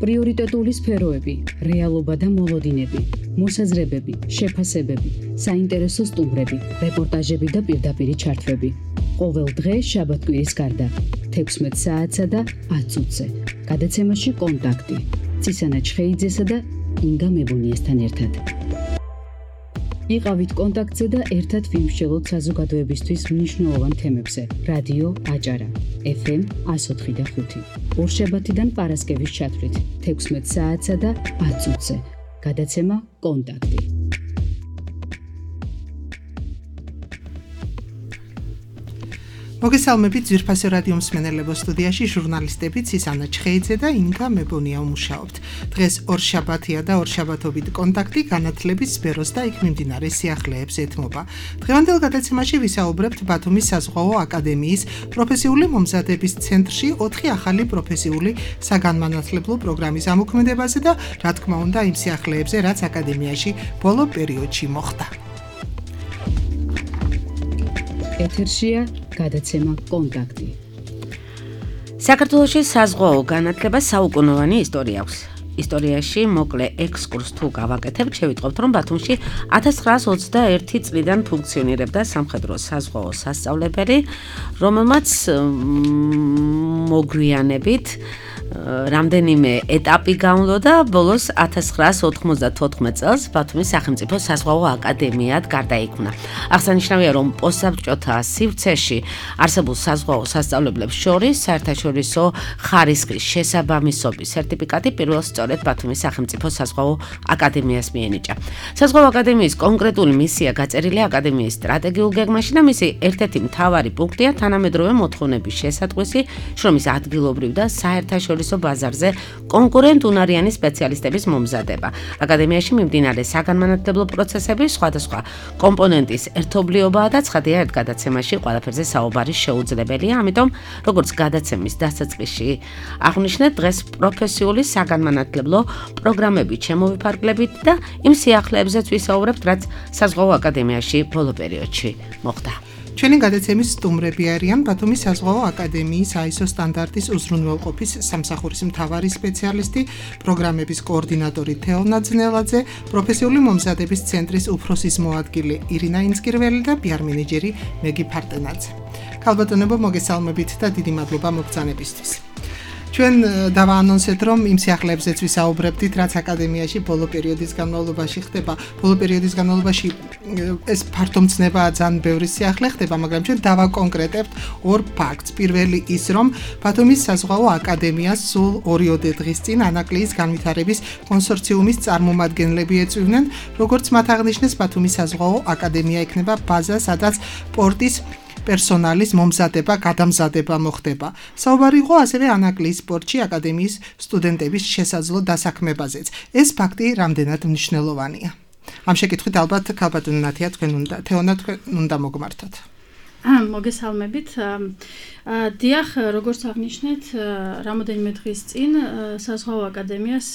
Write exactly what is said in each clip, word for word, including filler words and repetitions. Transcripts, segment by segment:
პრიორიტეტული სფეროები, რეალობა და მოლოდინები, მოსაზრებები, შეფასებები, საინტერესო სტუმრები, რეპორტაჟები და პირდაპირი ჩართვები. ყოველ დღე შაბათ-კვირის გარდა, თექვსმეტ საათსა და ათ წუთზე. გადაცემაში კონტაქტი. ცისანა ჩხეიძესა და ინგა მებუნიესთან ერთად. იყავით კონტაქტზე და ერთად ვიმსჯელოთ საზოგადოებისთვის მნიშვნელოვან თემებზე. რადიო აჭარა, ეფ ემ εκατო ოთხი და ხუთი. ორშაბათიდან პარასკევის ჩათვლით, თექვსმეტ საათსა და ათ წუთზე. გადაცემა კონტაქტი. მოგესალმებით ძვირფასო რადიო მსმენელებო, სტუდიაში ჟურნალისტები ცისანა ჩხეიძე და ინგა მებონია ვმუშაობთ. დღეს ორშაბათია და ორშაბათობით კონტაქტი განათლების სფეროს და იქ მიმდინარე სიახლეებს ეთმობა. დღევანდელ გადაცემაში ვისაუბრებთ ბათუმის საზღვაო აკადემიის პროფესიული მომზადების ცენტრში ოთხი ახალი პროფესიული საგანმანათლებლო პროგრამის ამოქმედებაზე და რა თქმა უნდა იმ სიახლეებზე, რაც აკადემიაში ბოლო პერიოდში მოხდა. ეთერშია გადაცემა კონტაქტი. საქართველოში საზღვაო განათლება საუკუნოვანი ისტორია აქვს. ისტორიაში მოკლე ექსკურს თუ გავაკეთებთ, შევიტყობთ, რომ ბათუმში ათას ცხრაას ოცდაერთი წლიდან ფუნქციონირებდა სამხედრო საზღვაო სასწავლებელი, რომელმაც მოგვიანებით რამდენიმე ეტაპი გაუნლო და ბოლოს ათას ცხრაას ოთხმოცდათოთხმეტ წელს ბათუმის სახელმწიფო საზღვაო აკადემიად გარდაიქმნა. აღსანიშნავია, რომ პოსტსაბჭოთა სივრცეში არსებულ საზღვაო სასწავლებლებს შორის საერთაშორისო ხარისხის შესაბამისობის სერტიფიკატი პირველ სწორედ ბათუმის სახელმწიფო საზღვაო აკადემიას მიენიჭა. საზღვაო აკადემიის კონკრეტული მისია გაწერილია აკადემიის სტრატეგიულ გეგმაში და მისი ერთ-ერთი მთავარი პუნქტია თანამედროვე მოთხოვნების შესატყვისი, შრომის ადგილობრივ და საერთაშორისო ბაზარზე კონკურენტუნარიანი სპეციალისტების მომზადება. აკადემიაში მიმდინარე საგანმანათლებლო პროცესების სხვადასხვა კომპონენტის ერთობლიობაა და ცხადია, ერთ გადაცემაში ყველაფერზე საუბარი შეუძლებელია, ამიტომ როგორც გადაცემის დასაწყისში აღნიშნეთ, დღეს პროფესიული საგანმანათლებლო პროგრამები ჩემოვიფარგლებით და იმ სიახლეებზეც ვისაუბრებთ, რაც საზღვაო აკადემიაში ბოლო პერიოდში მოხდა. ჩვენი გადაცემის სტუმრები არიან ბათუმის საზღვაო აკადემიის აი ეს ო სტანდარტის უზრუნველყოფის სამსახურის მთავარი სპეციალისტი, პროგრამების კოორდინატორი თეონა ძნელაძე, პროფესიული მომზადების ცენტრის უფროსის მოადგილე ირინა ინცკირველი და პი არ მენეჯერი მეგი ფარტენაძე. ქალბატონებო, მოგესალმებით და დიდი მადლობა მოგბრძანებისთვის. ჩვენ დავაანონსეთ, რომ იმ სიახლეებზეც ვისაუბრებდით, რაც აკადემიაში ბოლო პერიოდის განმავლობაში ხდება. ბოლო პერიოდის განმავლობაში ეს ფართომცნებაა, ძალიან ბევრი სიახლე ხდება, მაგრამ ჩვენ დავაკონკრეტებთ ორ ფაქტს. პირველი ის, რომ ბათუმის საზღვაო აკადემიას სულ ორიოდე დღის წინ ანაკლიის განვითარების კონსორციუმის წარმომადგენლები ეწვივნენ, როგორც მათ აღნიშნეს, ბათუმის საზღვაო აკადემია იქნება ბაზა, სადაც პორტის პერსონალის მომზადება, გადამზადება მოხდება. საუბარი იყო ასევე ანაკლიის პორტში აკადემიის სტუდენტების შესაძლო დასაქმებაზეც. ეს ფაქტი რამდენად მნიშვნელოვანია. ამ შეკითხვით ალბათ ქალბატონი ნათია თქვენ უნდა, თეონა თქვენ უნდა მოგმართოთ. მოგესალმებით. დიახ, როგორც აღნიშნეთ, რამოდენიმე დღის წინ საზღვაო აკადემიას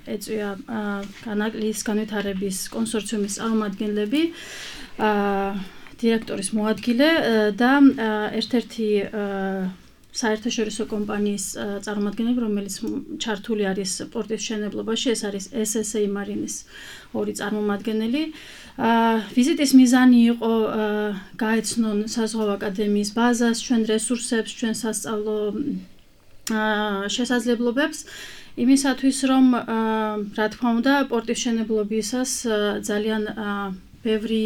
ეწვია ანაკლიის განვითარების კონსორციუმის წარმომადგენლები, დირექტორის მოადგილე და ერთ-ერთი საერთაშორისო კომპანიის წარმომადგენლები, რომელიც ჩართული არის პორტის მშენებლობაში, ეს არის ეს ეს ეი მარინის ორი წარმომადგენელი. ვიზიტის მიზანი იყო გაეცნონ საზღვაო აკადემიის ბაზას, ჩვენ რესურსებს, ჩვენ სასწავლო შესაძლებლობებს, იმისათვის, რომ რა თქმა უნდა, პორტის მშენებლობისას ძალიან ბევრი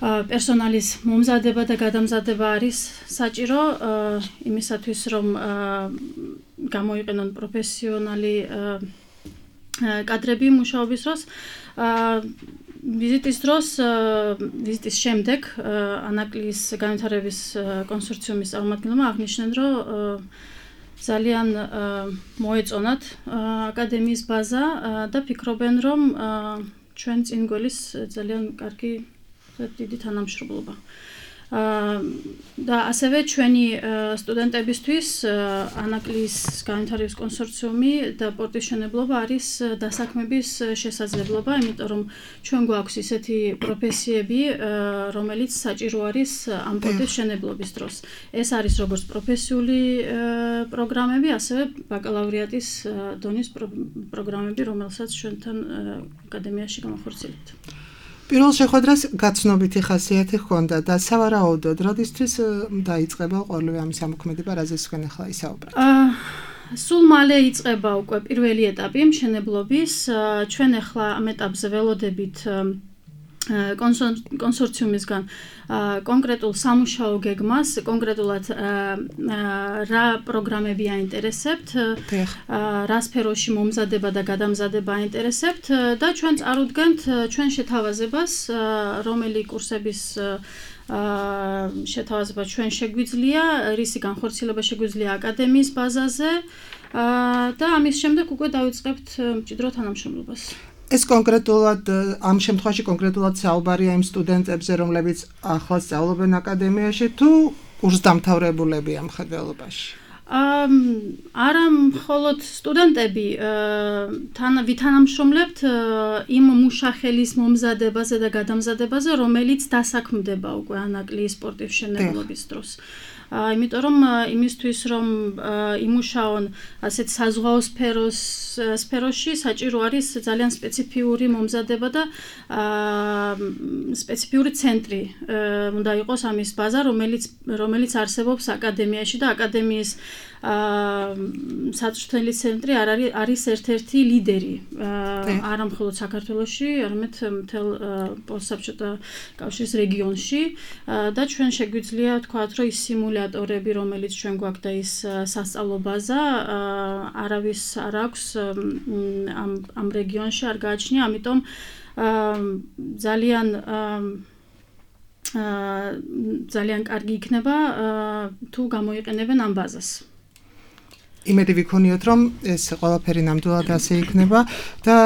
პერსონალის მომზადება და გადამზადება არის საჭირო, იმისათვის, რომ გამოიყენონ პროფესიონალი კადრები მუშაობის დროს. ვიზიტის დროს, ვიზიტის შემდეგ ანაკლიის განვითარების კონსორციუმის წარმომადგენლებმა აღნიშნეს, რომ ძალიან მოეწონათ აკადემიის ბაზა და ფიქრობენ, რომ ჩვენ წინ გველის ძალიან კარგი დიდი თანამშრომლობა. და ასევე ჩვენი სტუდენტებისთვის ანაკლიის განვითარების კონსორციუმი და პორტის მშენებლობა არის დასაქმების შესაძლებლობა, იმიტომ რომ ჩვენ გვაქვს ისეთი პროფესიები, რომელიც საჭირო არის ამ პორტის მშენებლობის დროს. ეს არის როგორც პროფესიული პროგრამები, ასევე ბაკალავრიატის დონის პროგრამები, რომელსაც ჩვენთან აკადემიაში გამახორციელებთ. პირველ შეხვედრას გაცნობითი ხასიათი ჰქონდა და სავარაუდოდ როდისთვის დაიწყება ყოველივე ამის ამოქმედება, რაზეც თქვენ ახლა ისაუბრეთ? სულ მალე იწყება უკვე პირველი ეტაპი მშენებლობის. ჩვენ ახლა ამ ეტაპზე ველოდებით კონსორციუმისგან კონკრეტულ სამუშაო გეგმას, კონკრეტულად რა პროგრამები აინტერესებთ, რა სფეროში მომზადება და გადამზადება აინტერესებთ და ჩვენ წარუდგენთ ჩვენ შეთავაზებას, რომელი კურსების შეთავაზება ჩვენ შეგვიძლია, რისი განხორციელება შეგვიძლია აკადემიის ბაზაზე და ამის შემდეგ უკვე დავიწყებთ მჭიდრო თანამშრომლობას. ეს კონკრეტულად ამ შემთხვევაში კონკრეტულად საუბარია იმ სტუდენტებზე, რომლებიც ახლა სწავლობენ აკადემიაში თუ კურსდამთავრებულებია მხედველობაში? არა მხოლოდ სტუდენტები თან ვითანამშრომლებთ იმ მუშახელის მომზადებაზე და გადამზადებაზე, რომელიც დასაქმდება უკვე ანაკლიის სპორტის მშენებლობის დროს. იმიტომ რომ იმისთვის რომ იმუშაონ ასეთ საზღვაო სფეროს სფეროში საჭირო არის ძალიან სპეციფიური მომზადება და სპეციფიური ცენტრი უნდა იყოს ამის ბაზა, რომელიც რომელიც არსებობს აკადემიაში და აკადემიის საწვრთნელი ცენტრი არ არის არის ერთ-ერთი ლიდერი არა მხოლოდ საქართველოში, არამედ მთელ პოსტსაბჭოთა კავშირის რეგიონში და ჩვენ შეგვიძლია ვთქვათ, რომ ის სიმულატორები, რომელიც ჩვენ გვაქვს და ის სასწავლო ბაზა არავის არ აქვს ამ ამ რეგიონში არ გააჩნია, ამიტომ ძალიან ძალიან კარგი იქნება თუ გამოიყენებენ ამ ბაზას. იმედი ვიქონიოთ, რომ ეს ყველაფერი ნამდვილად ასე იქნება და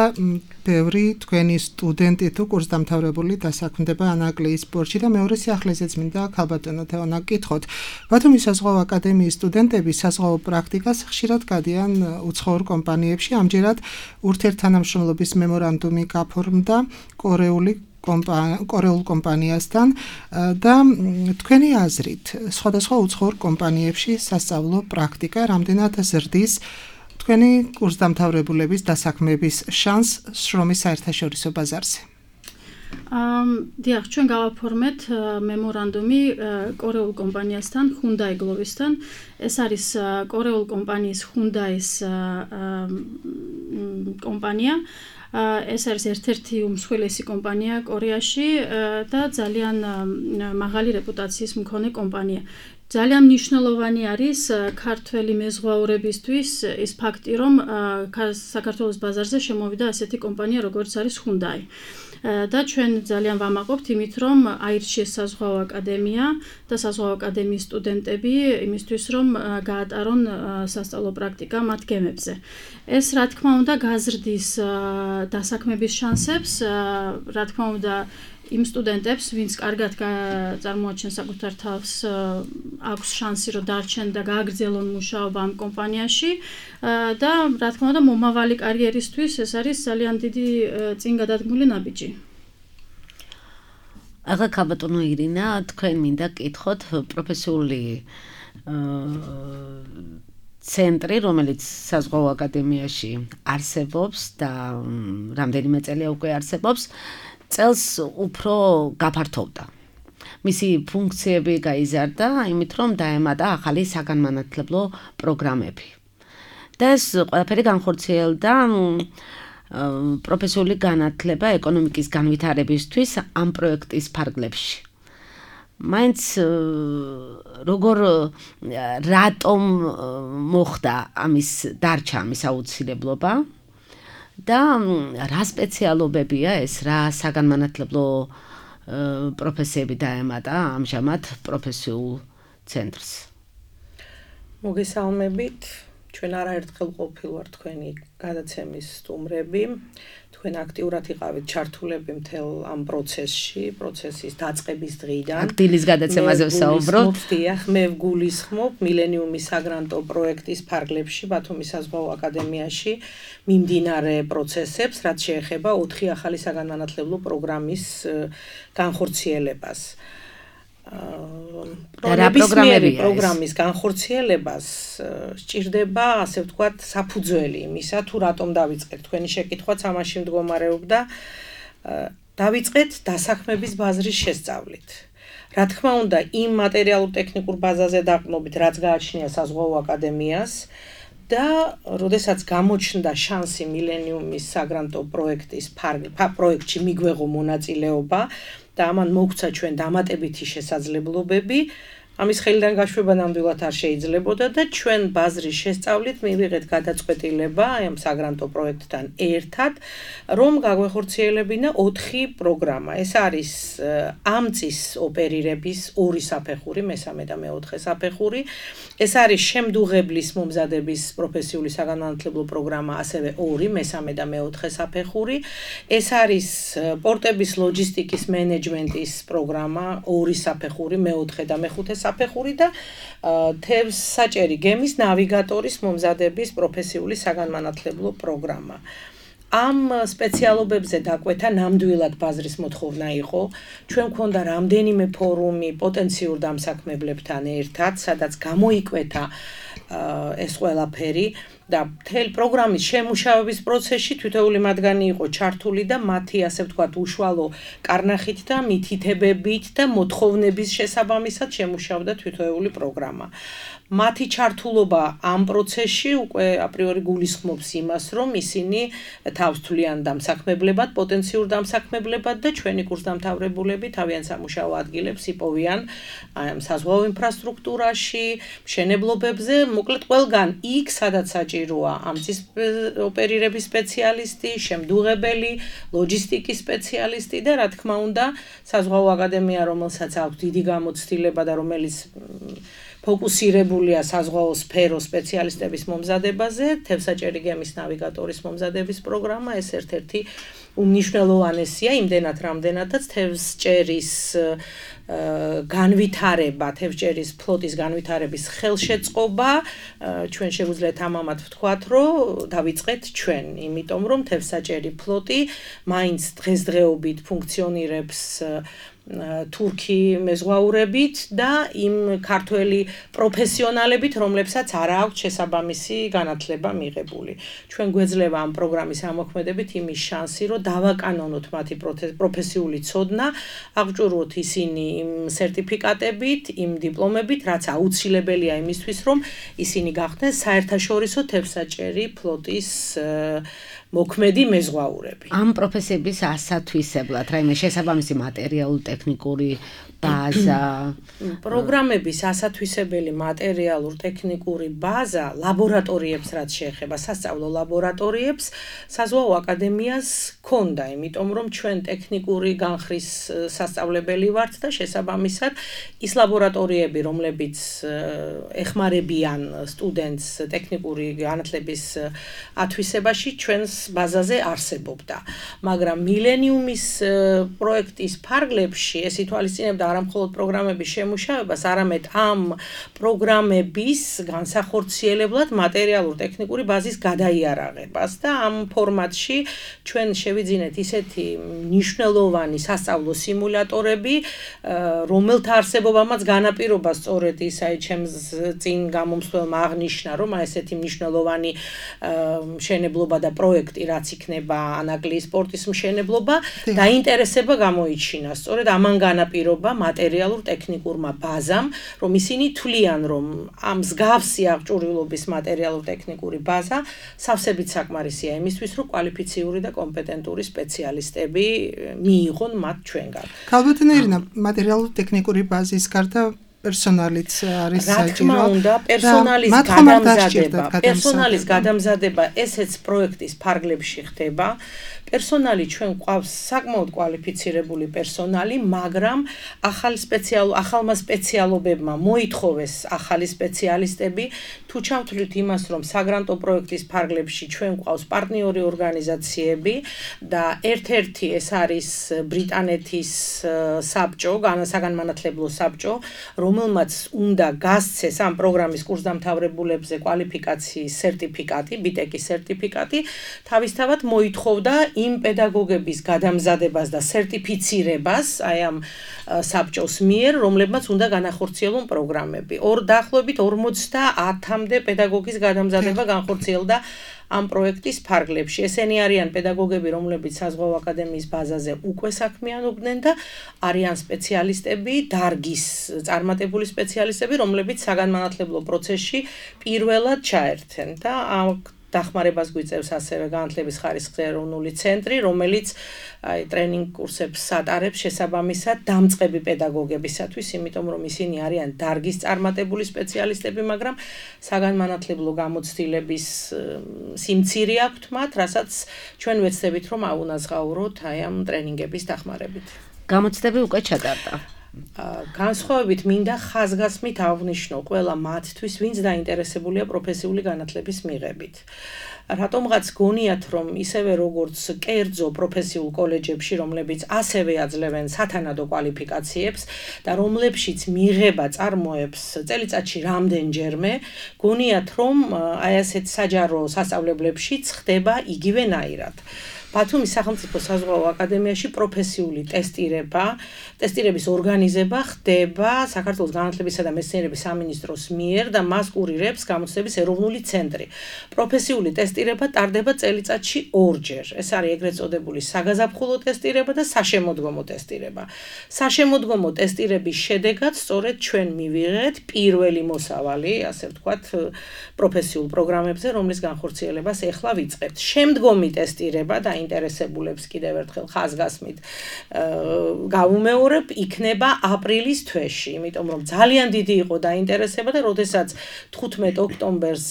ბევრი თქვენი სტუდენტი თუ კურსდამთავრებული დასაქმდება ანაკლიის სპორტში და მეორე სიახლეზეც მინდა ქალბატონო თეონა გკითხოთ. ბათუმის საზღვაო აკადემიის სტუდენტები საზღვაო პრაქტიკას ხშირად გადიან უცხოურ კომპანიებში. ამჯერად ურთიერთთანამშრომლობის მემორანდუმი გაფორმდა კორეული კორეულ კომპანიასთან და თქვენი აზრით სხვადასხვა უცხოურ კომპანიებში სასწავლო პრაქტიკა რამდენად ზრდის თქვენი კურსდამთავრებულების დასაქმების შანსს შრომის საერთაშორისო ბაზარზე? დიახ, ჩვენ გავაფორმეთ მემორანდუმი კორეულ კომპანიასთან, Hyundai Glovistan. ეს არის კორეულ კომპანიის Hyundai-ის კომპანია. ეს არის ერთ-ერთი უმსხვილესი კომპანია კორეაში და ძალიან მაღალი რეპუტაციის მქონე კომპანია. ძალიან მნიშვნელოვანი არის ქართველი მეზღვაურებისთვის ის ფაქტი, რომ საქართველოს ბაზარზე შემოვიდა ასეთი კომპანია, როგორც არის Hyundai. და ჩვენ ძალიან ვამაყობთ იმით, რომ აირჩიეს საზღვაო აკადემია და საზღვაო აკადემიის სტუდენტები იმისთვის, რომ გაატარონ სასწავლო პრაქტიკა მათ გემებზე. ეს რა თქმა უნდა გაზრდის დასაქმების შანსებს, რა თქმა უნდა იმ სტუდენტებს, ვინც კარგად წარმოაჩენს საკუთარ თავს, აქვს შანსი რომ დარჩენ და გააგრძელონ მუშაობა ამ კომპანიაში და რა თქმა უნდა მომავალი კარიერისთვის ეს არის ძალიან დიდი წინ გადადგმული ნაბიჯი. ახლა ქალბატონო ირინა, თქვენ მინდა გკითხოთ პროფესიული ცენტრი, რომელიც საზღვაო აკადემიაში არსებობს და რამდენიმე წელია უკვე არსებობს, წელს უფრო გაფართოვდა. მისი ფუნქციები გაიზარდა, იმით რომ დაემატა ახალი საგანმანათლებლო პროგრამები. და ეს ყველაფერი განხორციელდა პროფესიული განათლება ეკონომიკის განვითარებისთვის ამ პროექტის ფარგლებში. მაინც როგორ რატომ მოხდა ამის დარჩა ამის აუცილებლობა და რა სპეციალობებია ეს, რა საგანმანათლებლო პროფესიები დაემატა ამჟამად პროფესიულ ცენტრს? მოგესალმებით. ჩვენ არაერთხელ ყოფილვარ თქვენი გადაცემის სტუმრები. თქვენ აქტიურად იყავით ჩართულები მთელ ამ პროცესში, პროცესის დაწყების დღიდან. აქტილის გადაცემაზე ვსაუბრობ. დიახ, მე ვგულისხმობ მილენიუმის საგრანტო პროექტის ფარგლებში ბათუმის საზღვაო აკადემიაში მიმდინარე პროცესებს, რაც შეეხება ოთხი ახალი საგანმანათლებლო პროგრამის განხორციელებას. პროგრამები პროგრამის განხორციელებას სჭირდება, ასე ვთქვათ, საფუძველი იმისა, თუ რატომ დავიწყეთ. თქვენი შეკითხვაც ამაში მდგომარეობდა. დავიწყეთ დასაქმების ბაზრის შესწავლით. რა თქმა უნდა, იმ მატერიალურ-ტექნიკურ ბაზაზე დაყრდნობით, რაც გააჩნია საზღვაო აკადემიას და როდესაც გამოჩნდა შანსი მილენიუმის საგრანტო პროექტის პროექტში მიგვეღო მონაწილეობა და ამან მოგცა ჩვენ დამატებითი შესაძლებლობები, ამის ხელიდან გაშვება ნამდვილად არ შეიძლებოდა და ჩვენ ბაზრის შესწავლით მივიღეთ გადაწყვეტილება ამ საგრანტო პროექტთან ერთად, რომ გაგვეხორციელებინა ოთხი პროგრამა. ეს არის ამ წის ოპერირების ორი საფეხური, მესამე და მეოთხე საფეხური. ეს არის შემდუღებლის მომზადების პროფესიული საგანმანათლებლო პროგრამა, ასევე ორი, მესამე და მეოთხე საფეხური. ეს არის პორტების ლოჯისტიკის მენეჯმენტის პროგრამა, ორი საფეხური, მეოთხე და მეხუთე საფეხური და თევზ საჭერი გემის ნავიგატორის მომზადების პროფესიული საგანმანათლებლო პროგრამა. ამ სპეციალობებზე დაკვეთა ნამდვილად ბაზრის მოთხოვნა იყო. ჩვენ გვქონდა რამდენიმე ფორუმი პოტენციურ დამსაქმებლებთან ერთად, სადაც გამოიკვეთა ეს ყველაფერი და მთელი პროგრამის შემუშავების პროცესში თითოეული მათგანი იყო ჩართული და მათი, ასე ვთქვათ, უშუალო კარნახით და მითითებებით და მოთხოვნების შესაბამისად შემუშავდა თითოეული პროგრამა. მათი ჩართულობა ამ პროცესში უკვე აპრიორი გულისხმობს იმას, რომ ისინი თავს თვლიან დამსაქმებლებად, პოტენციურ დამსაქმებლებად და ჩვენი კურსდამთავრებულები თავიანთ სამუშაო ადგილებს იპოვიან ამ საზღვაო ინფრასტრუქტურაში, მშენებლობებზე, მოკლედ ყველგან იქ, სადაც საჭიროა ამ წის ოპერირების სპეციალისტი, შემდუღებელი, ლოჯისტიკის სპეციალისტი და რა თქმა უნდა, საზღვაო აკადემია, რომელსაც აქვს დიდი გამოცდილება და რომელიც ფოკუსირებულია საზღვაო სფეროს სპეციალისტების მომზადებაზე, თევზსაჭერი გემის ნავიგატორის მომზადების პროგრამა, ეს ერთ-ერთი უმნიშვნელოვანესია, იმდენად რამდენადაც თევზჭერის განვითარება, თევზჭერის ფლოტის განვითარების ხელშეწყობა, ჩვენ შეგვიძლიათ ამამად ვთქვათ, რომ დავიწყეთ ჩვენ, იმიტომ რომ თევზსაჭერი ფლოტი მაინც დღესდღეობით ფუნქციონირებს თურქი მეზღვაურებით და იმ ქართველი პროფესიონალებით, რომლებსაც არ აქვს შესაბამისი განათლება მიღებული. ჩვენ გვეძლევა ამ პროგრამის ამოქმედებით იმის შანსი, რომ დავაკანონოთ მათი პროფესიული ცოდნა, აღჭურვოთ ისინი იმ სერტიფიკატებით, იმ დიპლომებით, რაც აუცილებელია იმისთვის, რომ ისინი გახდნენ საერთაშორისო თევზსაჭერი ფლოტის მოქმედი მეზღვაურები. ამ პროფესიების ასათვისებლად, რაიმე შესაბამისი მატერიალურ-ტექნიკური ბაზა, პროგრამების ასათვისებელი მატერიალურ-ტექნიკური ბაზა, ლაბორატორიებს რაც შეეხება, სასწავლო ლაბორატორიებს, საზღვაო აკადემიას ჰქონდა, იმიტომ რომ ჩვენ ტექნიკური განხრის სასწავლებელი ვართ და შესაბამისად ის ლაბორატორიები, რომლებიც ეხმარებიან სტუდენტს ტექნიკური განათლების ათვისებაში, ჩვენს ბაზაზე არსებობდა. მაგრამ მილენიუმის პროექტის ფარგლებში ეს ითვალისწინებდა არა მხოლოდ პროგრამების შემუშავებას, არამედ ამ პროგრამების განსახორციელებლად მატერიალურ-ტექნიკური ბაზის გადაიარაღებას და ამ ფორმატში ჩვენ შევიძინეთ ისეთი მნიშვნელოვანი სასწავლო სიმულატორები, რომელთა არსებობამაც განაპირობა სწორედ ისა ჩემს წინ გამომსვლელმა აღნიშნა, რომ ესეთი მნიშვნელოვანი მშენებლობა და პროექტი, რაც იქნება ანაკლიის პორტის მშენებლობა, დაინტერესება გამოიჩინა. სწორედ ამან განაპირობა მატერიალურ-ტექნიკურმა ბაზამ, რომ ისინი თვლიან, რომ ამ მსგავსი აღჭურვილობის მატერიალურ-ტექნიკური ბაზა სავსებით საკმარისია იმისთვის, რომ კვალიფიციური და კომპეტენტური სპეციალისტები მიიღონ მათ ჩვენგან. ქალბატონი ირინა, მატერიალურ-ტექნიკური ბაზის გარდა პერსონალიც არის საჭირო. რა თქმა უნდა, პერსონალის გადამზადება, პერსონალის გადამზადება ესეც პროექტის ფარგლებში ხდება. პერსონალი ჩვენ გვყავს საკმაოდ კვალიფიცირებული პერსონალი, მაგრამ ახალი სპეციალ ახალმა სპეციალობებმა მოითხოვეს ახალი სპეციალისტები. თუ ჩავთვლით იმას, რომ საგრანტო პროექტის ფარგლებში ჩვენ გვყავს პარტნიორი ორგანიზაციები და ერთ-ერთი ეს არის ბრიტანეთის საბჭო, განსაგანმანათლებლო საბჭო, რომელმაც უნდა გასცეს ამ პროგრამის კურსდამთავრებულებზე კვალიფიკაციის სერტიფიკატი, ბიტეკის სერტიფიკატი, თავისთავად მოითხოვდა იმ პედაგოგების გადამზადებას და სერტიფიცირებას აი ამ საბჭოს მიერ, რომლებმაც უნდა განახორციელონ პროგრამები. ორ დაახლოებით ორმოცდაათამდე პედაგოგის გადამზადება განხორციელდა ამ პროექტის ფარგლებში. ესენი არიან პედაგოგები, რომლებიც საზღვაო აკადემიის ბაზაზე უკვე საქმიანობდნენ და არიან სპეციალისტები, დარგის წარმატებული სპეციალისტები, რომლებიც საგანმანათლებლო პროცესში პირველად ჩაერთენ და დახმარებას გვიწევს ასევე განათლების ხარისხის ეროვნული ცენტრი, რომელიც აი ტრენინგ კურსებს ატარებს შესაბამისად დამწყები პედაგოგებისათვის, იმიტომ რომ ისინი არიან დარგის წარმატებული სპეციალისტები, მაგრამ საგანმანათლებლო გამოცდილების სიმცირე აქვთ მათ, რასაც ჩვენ ვეცდებით რომ აუნაზღაუროთ აი ამ ტრენინგების დახმარებით. გამოცდები უკვე ჩატარდა. განსხვავებით მინდა ხაზგასმით აღვნიშნო ყველა მათთვის, ვინც დაინტერესებულია პროფესიული განათლების მიღებით. რატომღაც გონიათ, რომ ისევე როგორც კერძო პროფესიულ კოლეჯებში, რომლებიც ასევე აძლევენ სათანადო კვალიფიკაციებს და რომლებშიც მიღება წარმოებს წელიწადში რამდენჯერმე, გონიათ, რომ აი ასეთ საჯარო სასწავლებლებშიც ხდება იგივენაირად. ბათუმის სახელმწიფო საზღვაო აკადემიაში პროფესიული ტესტირება, ტესტირების ორგანიზება ხდება საქართველოს განათლებისა და მეცნიერების სამინისტროს მიერ და მას კურირებს გამოცდების ეროვნული ცენტრი. პროფესიული ტესტირება ტარდება წელიწადში ორჯერ. ეს არის ეგრეთ წოდებული საგაზაფხულო ტესტირება და საშემოდგომო ტესტირება. საშემოდგომო ტესტირების შედეგად სწორედ ჩვენ მივიღეთ პირველი მოსავალი, ასე ვთქვათ, პროფესიულ პროგრამებზე, რომლის განხორციელებას ეხლა ვიწყებთ. შემდგომი ტესტირება და ინტერესებულებს კიდევ ერთხელ ხაზგასმით გავუმეორებ, იქნება აპრილის თვეში, იმიტომ რომ ძალიან დიდი იყო დაინტერესება და როდესაც თხუთმეტ ოქტომბერს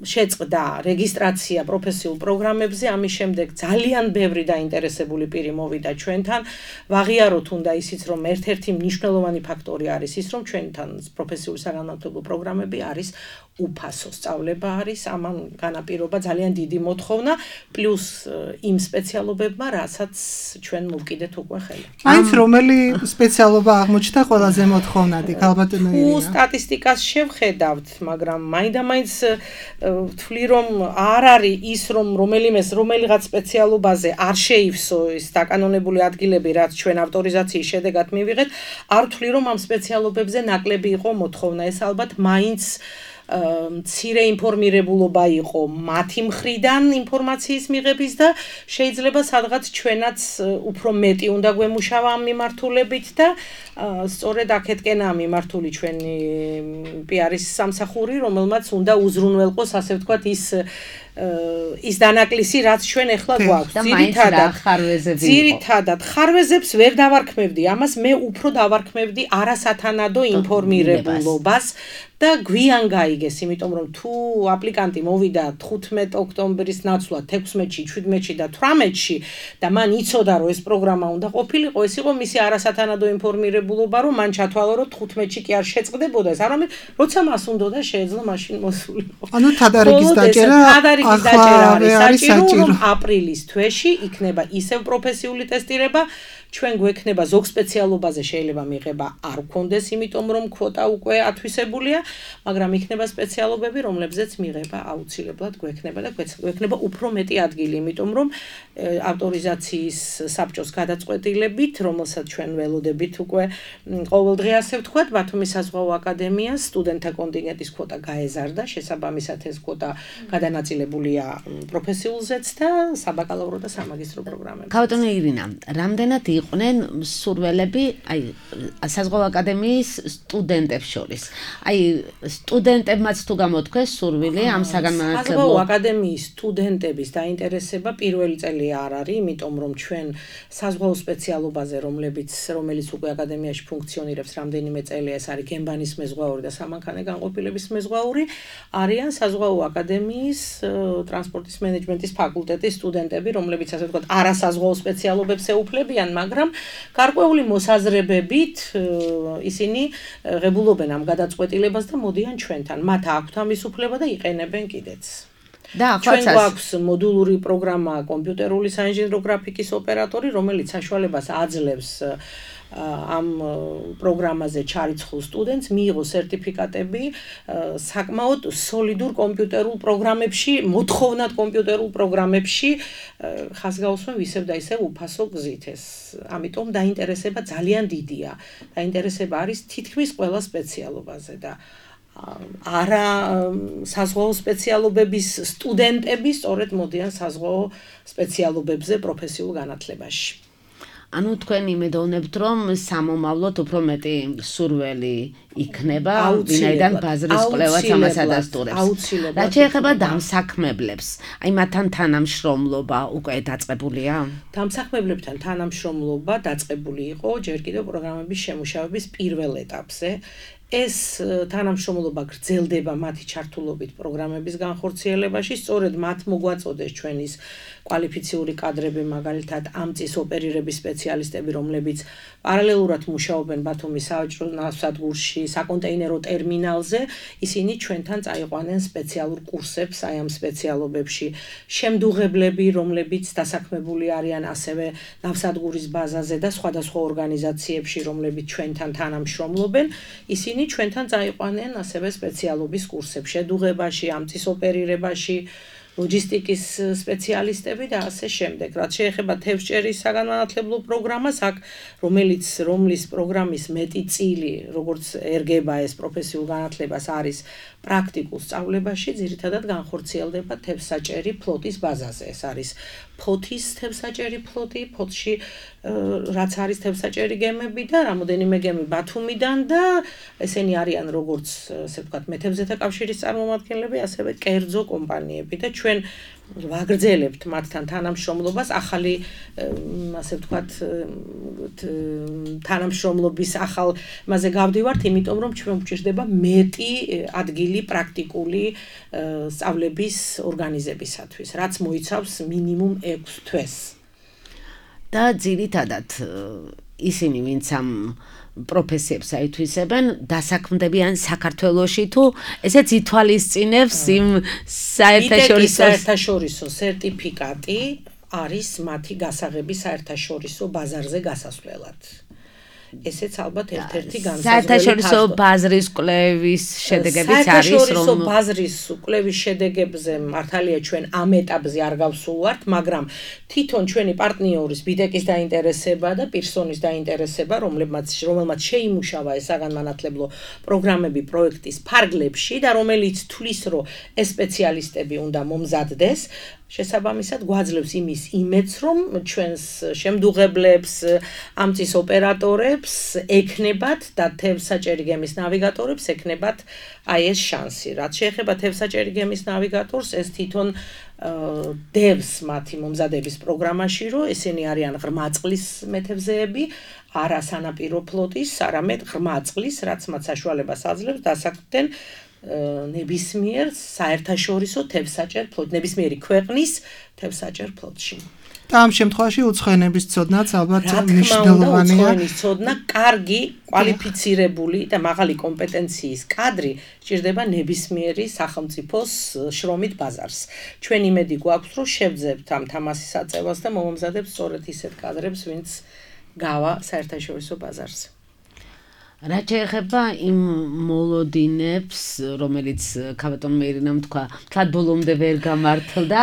შეწყდა რეგისტრაცია პროფესიულ პროგრამებზე, ამის შემდეგ ძალიან ბევრი დაინტერესებული პირი მოვიდა ჩვენთან. ვაღიაროთ უნდა ისიც, რომ ერთ-ერთი მნიშვნელოვანი ფაქტორი არის ის, რომ ჩვენთან პროფესიული საგანმანათლებლო პროგრამები არის უფასო სწავლება არის, ამან განაპირობა ძალიან დიდი მოთხოვნა, პლუს იმ სპეციალობებმა, რასაც ჩვენ მოვკიდეთ უკვე ხელი. მაინც რომელი სპეციალობა აღმოჩნდა ყველაზე მოთხოვნადი, ქალბატონო ირინა? უ სტატისტიკას შევხედავთ, მაგრამ მაინდა-მაინც ვთვლი, რომ არ არის ის, რომ რომელიმეს რომელიღაც სპეციალობაზე არ შეივსო ის დაკანონებული ადგილები, რაც ჩვენ ავტორიზაციის შედეგად მივიღეთ, არ ვთვლი, რომ ამ სპეციალობებზე ნაკლები იყო მოთხოვნა, ეს ალბათ მაინც მცირე ინფორმირებულობა იყო მათი მხრიდან ინფორმაციის მიღების და შეიძლება სადღაც ჩვენაც უფრო მეტი უნდა გვემუშავა ამ მიმართულებით და სწორედ აქეთკენაა მიმართული ჩვენი პიარის სამსახური, რომელმაც უნდა უზრუნველყოს, ასე ვთქვათ, ის ის დანაკლისი, რაც ჩვენ ახლა გვაქვს. ძირითადად ხარვეზები. ძირითადად ხარვეზებს ვერ დავარქმევდი, ამას მე უფრო დავარქმევდი არასათანადო ინფორმირებულობას და გვიან გაიგეს, იმიტომ რომ თუ აპლიკანტი მოვიდა თხუთმეტ ოქტომბრის ნაცვლად, თექვსმეტში, შვიდმეტში და თვრამეტში და მან იცოდა, რომ ეს პროგრამა უნდა ყოფილიყო, ეს იყო მისი არასათანადო ინფორმირებულობა, რომ მან ჩათვალა, რომ თხუთმეტში კი არ შეწყდებოდა ეს, არამედ როცა მას უნდოდა შეეძლო მაშინ მოსულიყო. ანუ თადარიგის დაჭერა თადარიგის დაჭერა არის საჭირო, რომ აპრილის თვეში იქნება ისევ პროფესიული ტესტირება, ჩვენ გვექნება ზოგ სპეციალობაზე შეიძლება მიღება არ გქონდეს, იმიტომ რომ კვოტა უკვე ათვისებულია, მაგრამ იქნება სპეციალობები, რომლებზეც მიღება აუცილებლად გვექნება და გვექნება უფრო მეტი ადგილი, იმიტომ რომ ავტორიზაციის საბჭოს გადაწყვეტილებით, რომელსაც ჩვენ ველოდებით უკვე ყოველდღე, ასე ვთქვათ, ბათუმის საზღვაო აკადემიას სტუდენტთა კონტინგენტის კვოტა გაეზარდა, შესაბამისად ეს კვოტა გადანაწილებულია პროფესიულზეც და საბაკალავრო და სამაგისტრო პროგრამებზე. ქალბატონო ირინა, რამდენად იყვნენ მსურველები, აი საზღვაო აკადემიის სტუდენტებს შორის. აი სტუდენტებმაც თუ გამოთქვეს სურვილი ამ საგანმანათლებლო საზღვაო აკადემიის სტუდენტების დაინტერესება პირველი წელი არ არის, იმიტომ რომ ჩვენ საზღვაო სპეციალობაზე, რომლებიც რომელიც უკვე აკადემიაში ფუნქციონირებს რამდენიმე წელია, ეს არის გემბანის მეზღვაური და სამანქანე განყოფილების მეზღვაური, არიან საზღვაო აკადემიის ტრანსპორტის მენეჯმენტის ფაკულტეტის სტუდენტები, რომლებიც ასე ვთქვათ, არასაზღვაო სპეციალობებს ეუფლებიან, მაგრამ გარკვეული მოსაზრებებით ისინი ღებულობენ ამ გადაწყვეტილებას და მოდიან ჩვენთან. მათ აქვთ ამის უფლება და იყენებენ კიდეც. და ჩვენ გვაქვს მოდულური პროგრამა კომპიუტერული საინჟინრო გრაფიკის ოპერატორი, რომელიც საშუალებას აძლევს ამ პროგრამაზე ჩარიცხულ სტუდენტს მიიღო სერტიფიკატები საკმაოდ სოლიდურ კომპიუტერულ პროგრამებში, მოთხოვნად კომპიუტერულ პროგრამებში ხაზგაუსმენ ისევ და ისევ უფასო გზით ეს. ამიტომ დაინტერესება ძალიან დიდია. დაინტერესება არის თითქმის ყველა სპეციალობაზე და არა საზღვაო სპეციალობების სტუდენტები სწორედ მოდიან საზღვაო სპეციალობებზე პროფესიულ განათლებაში. ანუ თქვენ იმედოვნებთ, რომ სამომავლოდ უფრო მეტი სურველი იქნება, ვინაიდან ბაზრის კვლევაც ამას ადასტურებს. რაც შეეხება დამსაქმებლებს, აი მათთან თანამშრომლობა უკვე დაწყებულია? დამსაქმებლებთან თანამშრომლობა დაწყებული იყო ჯერ კიდევ პროგრამების შემუშავების პირველ ეტაპზე. ეს თანამშრომლობა გრძელდება მათი ჩართულობით პროგრამების განხორციელებაში, სწორედ მათ მოგვაწოდეს ჩვენის კვალიფიციური კადრები, მაგალითად ამ წის ოპერირების სპეციალისტები, რომლებიც პარალელურად მუშაობენ ბათუმის საავაჭრო ნავსადგურში, საკონტეინერო ტერმინალზე, ისინი ჩვენთან წაიყვანენ სპეციალურ კურსებს აი ამ სპეციალობებში. შემდუღებლები, რომლებიც დასაქმებული არიან ასევე ნავსადგურის ბაზაზე და სხვადასხვა ორგანიზაციებში, რომლებიც ჩვენთან თანამშრომლობენ, ისინი ჩვენთან წაიყვანენ ასევე სპეციალობის კურსებს შედუღებაში, ამ წის ოპერირებაში, ლოჯისტიკის სპეციალისტები და ასე შემდეგ. რაც შეეხება თევზჭერის საგანმანათლებლო პროგრამას, აქ რომელიც რომლის პროგრამის მეტი წილი, როგორც ერგება ეს პროფესიულ განათლებას არის პრაქტიკულ სწავლებაში, ძირითადად განხორციელდება თევზსაჭერი ფლოტის ბაზაზე. ეს არის ფოთის თევზსაჭერი ფლოტი, ფოთში რაც არის თევზსაჭერი გემები და რამოდენიმე გემი ბათუმიდან და ესენი არიან როგორც ასე ვთქვათ მეთევზეთა კავშირის წარმომადგენლები, ასევე კერძო კომპანიები და ჩვენ ვაგრძელებთ მათთან თანამშრომლობას, ახალი ასე ვთქვათ თანამშრომლობის ახალ მასზე გავდივართ, იმიტომ რომ ჩვენ გვჭირდება მეტი ადგილი პრაქტიკული სწავლების ორგანიზებისათვის, რაც მოიცავს მინიმუმ ექვს თვეს. და ძირითადად ისინი ვინც ამ პროფესიებს აითვისებენ, დასაქმდებიან საქართველოში თუ ესეც ითვალისწინებს იმ საერთაშორისო საერთაშორისო სერტიფიკატი არის მათი გასაღები საერთაშორისო ბაზარზე გასასვლელად. ესეც ალბათ ერთ-ერთი განსაზღვრელი საერთაშორისო ბაზრის კვლევის შედეგებიც არის, რომ საერთაშორისო ბაზრის კვლევის შედეგებზე მართალია ჩვენ ამ ეტაპზე არ გავსულვართ, მაგრამ თვითონ ჩვენი პარტნიორის ბიდეკის დაინტერესება და პირსონის დაინტერესება, რომლებმაც რომელმაც შეიმუშავა ეს საგანმანათლებლო პროგრამები პროექტის ფარგლებში და რომელიც თვლის, რომ ეს სპეციალისტები უნდა მომზადდეს, შესაბამისად გვაძლევს იმის იმედს, რომ ჩვენს შემდუღებლებს, ამ წის ოპერატორებს ექნებათ და თევზსაჭერი გემის ნავიგატორებს ექნებათ აი ეს შანსი. რაც შეეხება თევზსაჭერი გემის ნავიგატორს, ეს თვითონ დევს მათი მომზადების პროგრამაში, რომ ესენი არიან ღრმა წყლის მეთევზეები, არა სანაპირო ფლოტის, არამედ ღრმა წყლის, რაც მათ საშუალებას აძლევს დასაქმდნენ ნებისმიერ საერთაშორისო თევზსაჭერ ფლოტში, ნებისმიერი ქვეყნის თევზსაჭერ ფლოტში. და ამ შემთხვევაში უცხოენების ცოდნაც ალბათ მნიშვნელოვანია. უცხოენის ცოდნა, კარგი, კვალიფიცირებული და მაღალი კომპეტენციის კადრი სჭირდება ნებისმიერი სახელმწიფოს შრომით ბაზარს. ჩვენ იმედი გვაქვს, რომ შევძებთ ამ თამასის აწევას და მომამზადებთ სწორედ ისეთ კადრებს, ვინც გავა საერთაშორისო ბაზარზე. რაც შეეხება იმ მოლოდინებს, რომელიც ქაბატონ მეირინამ თქვა, თლად ბოლომდე ვერ გამართლდა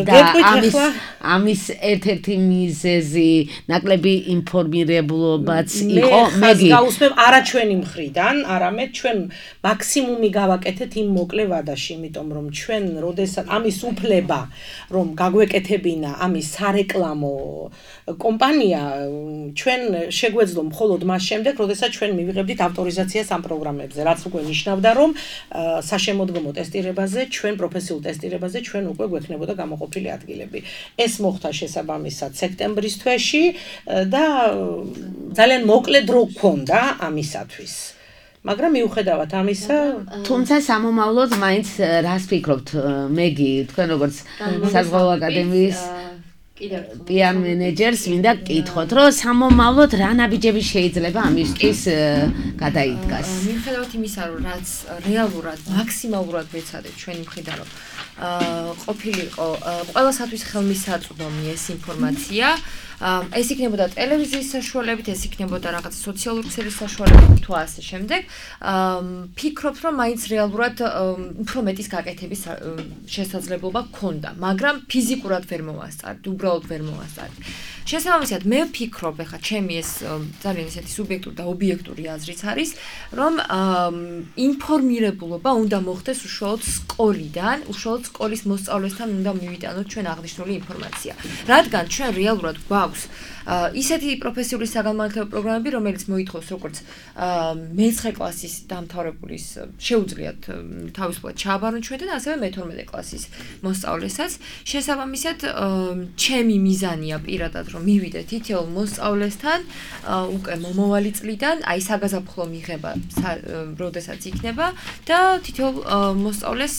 და ამის ამის ერთ-ერთი მიზეზი ნაკლები ინფორმირებულობაც იყო. მეგი გავუსმებ არა ჩვენი მხრიდან, არამედ ჩვენ მაქსიმუმი გავაკეთეთ იმ მოკლე ვადაში, იმიტომ რომ ჩვენ როდესაც ამის უფლება რომ გაგვეკეთებინა ამის სარეკლამო კომპანია, ჩვენ შეგვეძლო მხოლოდ მას შემდეგ, როდესაც ჩვენ მივიღებდით ავტორიზაციას ამ პროგრამებზე, რაც უკვე ნიშნავდა, რომ საშემოდგომო ტესტირებაზე, ჩვენ პროფესიულ ტესტირებაზე ჩვენ უკვე გვექნებოდა გამოყოფილი ადგილები. ეს მოხდა შესაბამისად სექტემბრის თვეში და ძალიან მოკლე დრო გქონდა ამისათვის. მაგრამ მიუხედავად ამისა, თუმცა სამომავლოდ მაინც რას ფიქრობთ, მეგი, თქვენ როგორც საზღვაო აკადემიის პიარ მენეჯერს მინდა გკითხოთ, რომ სამომავლოდ რა ნაბიჯები შეიძლება ამისთვის გადაიდგას. მიუხედავად იმისა, რომ რაც რეალურად მაქსიმალურად მეცადეთ ჩვენი მხრიდან, რომ ყოფილიყო ყველასათვის ხელმისაწვდომი ეს ინფორმაცია, ეს იქნებოდა ტელევიზიის საშუალებით, ეს იქნებოდა რაღაც სოციალური ქსელის საშუალებით თუ ასე შემდეგ. ფიქრობ, რომ მაინც რეალურად უფრო მეტის გაკეთების შესაძლებლობა გქონდა, მაგრამ ფიზიკურად ვერ მოვასწარეთ, უბრალოდ ვერ მოვასწარეთ. შესაბამისად, მე ვფიქრობ, ეხლა ჩემი ეს ძალიან ისეთი სუბიექტური და ობიექტური აზრიც არის, რომ ინფორმირებულობა უნდა მოხდეს უშუალოდ სკოლიდან, უშუალოდ სკოლის მოსწავლესთან უნდა მივიტანოთ ჩვენ აღნიშნული ინფორმაცია. რადგან ჩვენ რეალურად გვაქვს ისეთი პროფესიული საგანმანათლებლო პროგრამები, რომელიც მოითხოვს როგორც მეცხრე კლასის დამთავრებულის შეუძლიათ თავისუფლად ჩააბარონ ჩვენთან, ასევე მეთორმეტე კლასის მოსწავლესაც. შესაბამისად, ჩემი მიზანია პირადად, რომ მივიდე თითოეულ მოსწავლესთან უკვე მომავალი წლიდან, აი საგაზაფხულო მიღება, როდესაც იქნება და თითოეულ მოსწავლეს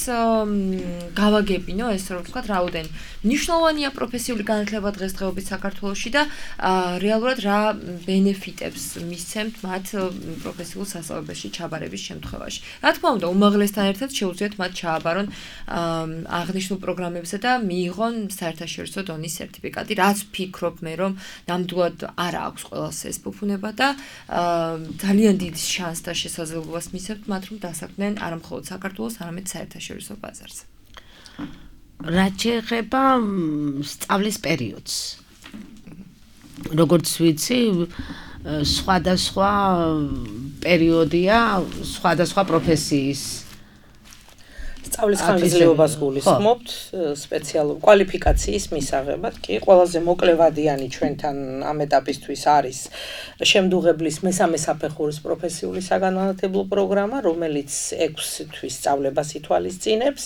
გავაგებინო ეს რომ ვთქვათ, რაოდენ მნიშვნელოვანია პროფესიული განათლება დღესდღეობით საქართველოში და რეალურად რა ბენეფიტებს მისცემთ მათ პროფესიულ სასწავლებელში ჩაბარების შემთხვევაში. რა თქმა უნდა, უმაღლესთან ერთად შეუძლიათ მათ ჩააბარონ აღნიშნულ პროგრამებზე და მიიღონ საერთაშორისო დონის სერტიფიკატი, რაც ვფიქრობ მე, რომ ნამდვილად არ აქვს ყველას ეს ფუფუნება და ძალიან დიდ შანსს და შესაძლებლობას მისცემთ მათ, რომ დასაქმდნენ არა მხოლოდ საქართველოს, არამედ საერთაშორისო ბაზარზე. რაც შეეხება სწავლის პერიოდს. როგორც ვიცი, სხვადასხვა პერიოდია სხვადასხვა პროფესიის სწავლის ხანგრძლივობას გულისხმობთ სპეციალურ კვალიფიკაციის მისაღებად. კი, ყველაზე მოკლევადიანი ჩვენთან ამ ეტაპისთვის არის შემდუღებლის მესამე საფეხურის პროფესიული საგანმანათლებლო პროგრამა, რომელიც ექვსი თვის სწავლებას ითვალისწინებს.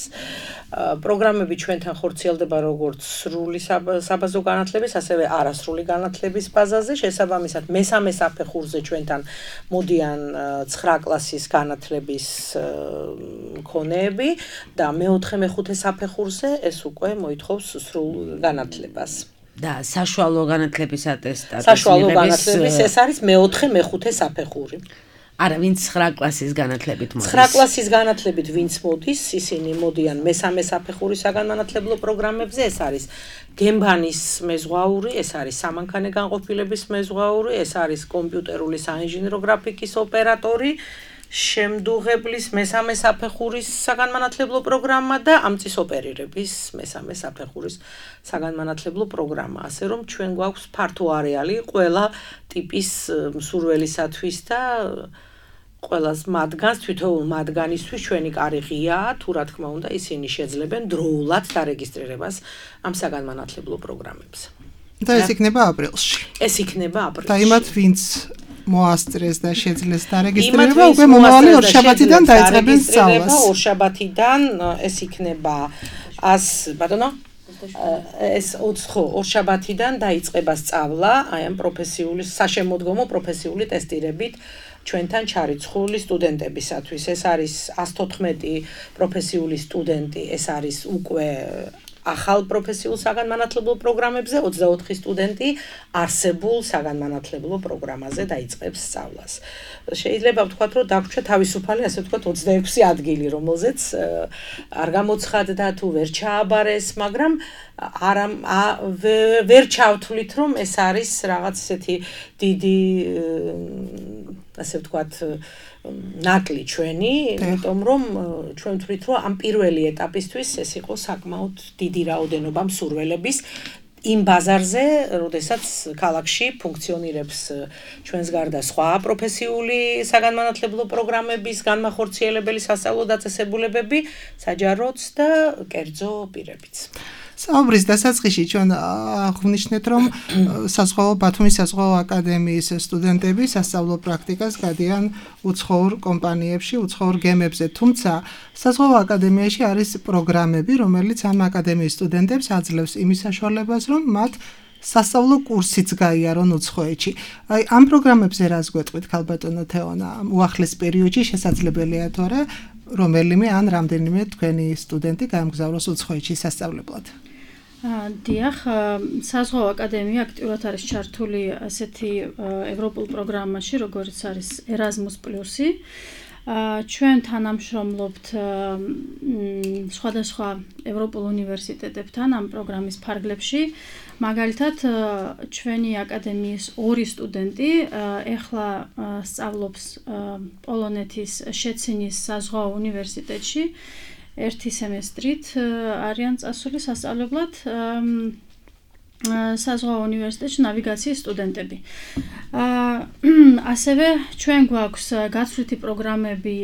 პროგრამები ჩვენთან ხორციელდება როგორც სრული საბაზო განათლების, ასევე არასრული განათლების ბაზაზე. შესაბამისად, მესამე საფეხურზე ჩვენთან მოდიან ცხრა კლასის განათლების მქონეები და მეოთხე მეხუთე საფეხურზე ეს უკვე მოითხოვს სრულ განათლებას. და საშუალო განათლების ატესტატის საშუალო განათლების ეს არის მეოთხე მეხუთე საფეხური. არა, ვინც ცხრა კლასის განათლებით მოდის. ცხრა კლასის განათლებით ვინც მოდის, ისინი მოდიან მესამე საფეხურის საგანმანათლებლო პროგრამებზე, ეს არის გემბანის მეზღვაური, ეს არის სამანქანე განყოფილების მეზღვაური, ეს არის კომპიუტერული საინჟინრო გრაფიკის ოპერატორი, შემდუღებლის მესამე საფეხურის საგანმანათლებლო პროგრამა და ამწის ოპერირების მესამე საფეხურის საგანმანათლებლო პროგრამა. ასე რომ ჩვენ გვაქვს ფართო არეალი ყველა ტიპის მსურველისათვის და ყველას მათგანს, თითოეულ მათგანისთვის ჩვენი კარი ღიაა, თუ რა თქმა უნდა ისინი შეძლებენ დროულად დარეგისტრირებას ამ საგანმანათლებლო პროგრამებზე. და ეს იქნება აპრილში. ეს იქნება აპრილში. და იმათ ვინც მოასწრეს და შეძლეს დარეგისტრირება, უკვე მომავალი ორშაბათიდან დაიწყებენ სწავლას. ორშაბათიდან ეს იქნება ას, ბატონო? ეს ხო, ორშაბათიდან დაიწყება სწავლა, აი ამ პროფესიული საშემოდგომო პროფესიული ტესტირებით ჩვენთან ჩარიცხული სტუდენტებისათვის. ეს არის ას თოთხმეტი პროფესიული სტუდენტი, ეს არის უკვე ახალ პროფესიულ საგანმანათლებლო პროგრამებზე, ოცდაოთხი სტუდენტი არსებულ საგანმანათლებლო პროგრამაზე დაიწყებს სწავლას. შეიძლება ვთქვათ, რომ დაგვრჩა თავისუფალი, ასე ვთქვათ, ოცდაექვსი ადგილი, რომელზეც არ გამოცხადდა თუ ვერ ჩააბარეს, მაგრამ არა ვერ ჩავთვლით, რომ ეს არის რაღაც ესეთი დიდი ასე ვთქვათ, ნაკლი ჩვენი, იმიტომ რომ ჩვენ ვთვლით, რომ ამ პირველი ეტაპისთვის ეს იყო საკმაოდ დიდი რაოდენობა მსურველების იმ ბაზარზე, როდესაც ქალაქში ფუნქციონირებს ჩვენს გარდა სხვა პროფესიული საგანმანათლებლო პროგრამების განმახორციელებელი სასწავლო დაწესებულებები, საჯაროც და კერძო პირებიც. საუბრის დასაწყისში ჩვენ აღვნიშნეთ, რომ საზღვაო ბათუმის საზღვაო აკადემიის სტუდენტები სასწავლო პრაქტიკას გადიან უცხოურ კომპანიებში, უცხოურ გემებზე, თუმცა საზღვაო აკადემიაში არის პროგრამები, რომელიც ამ აკადემიის სტუდენტებს აძლევს იმის საშუალებას, რომ მათ სასწავლო კურსიც გაიარონ უცხოეთში. აი, ამ პროგრამებზე რას გვეტყვით, ქალბატონო თეონა? უახლეს პერიოდში შესაძლებელია თუ არა, რომელიმე ან რამდენიმე თქვენი სტუდენტი გაემგზავროს უცხოეთში სასწავლებლად? დიახ, საზღვაო აკადემია აქტიურად არის ჩართული ასეთი ევროპულ პროგრამაში, როგორც არის Erasmus Plus-ი. ჩვენ თანამშრომლობთ სხვადასხვა ევროპულ უნივერსიტეტებთან ამ პროგრამის ფარგლებში. მაგალითად, ჩვენი აკადემიის ორი სტუდენტი ეხლა სწავლობს პოლონეთის შეცინის საზღვაო უნივერსიტეტში. ერთი სემესტრით არიან წასული სასწავლებლად საზღვაო უნივერსიტეტში ნავიგაციის სტუდენტები. ასევე ჩვენ გვაქვს გაცვლითი პროგრამები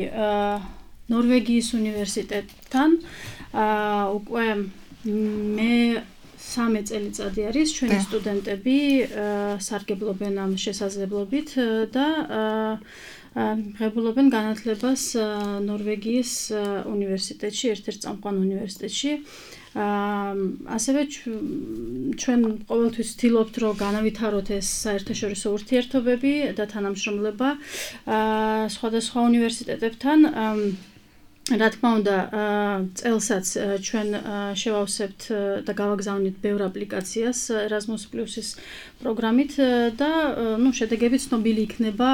ნორვეგიის უნივერსიტეტთან. უკვე მე სამი წელიწადი არის ჩვენი სტუდენტები სარგებლობენ ამ შესაძლებლობით და ღებულობენ განათლებას ნორვეგიის უნივერსიტეტში, ერთ-ერთ წამყვან უნივერსიტეტში. ასევე ჩვენ ყოველთვის ვცდილობთ, რომ განავითაროთ ეს საერთაშორისო ურთიერთობები და თანამშრომლობა სხვადასხვა უნივერსიტეტებთან. რა თქმა უნდა, წელსაც ჩვენ შევავსებთ და გავაგზავნით ბევრ აპლიკაციას Erasmus Plus-ის პროგრამით და ნუ შედეგები ცნობილი იქნება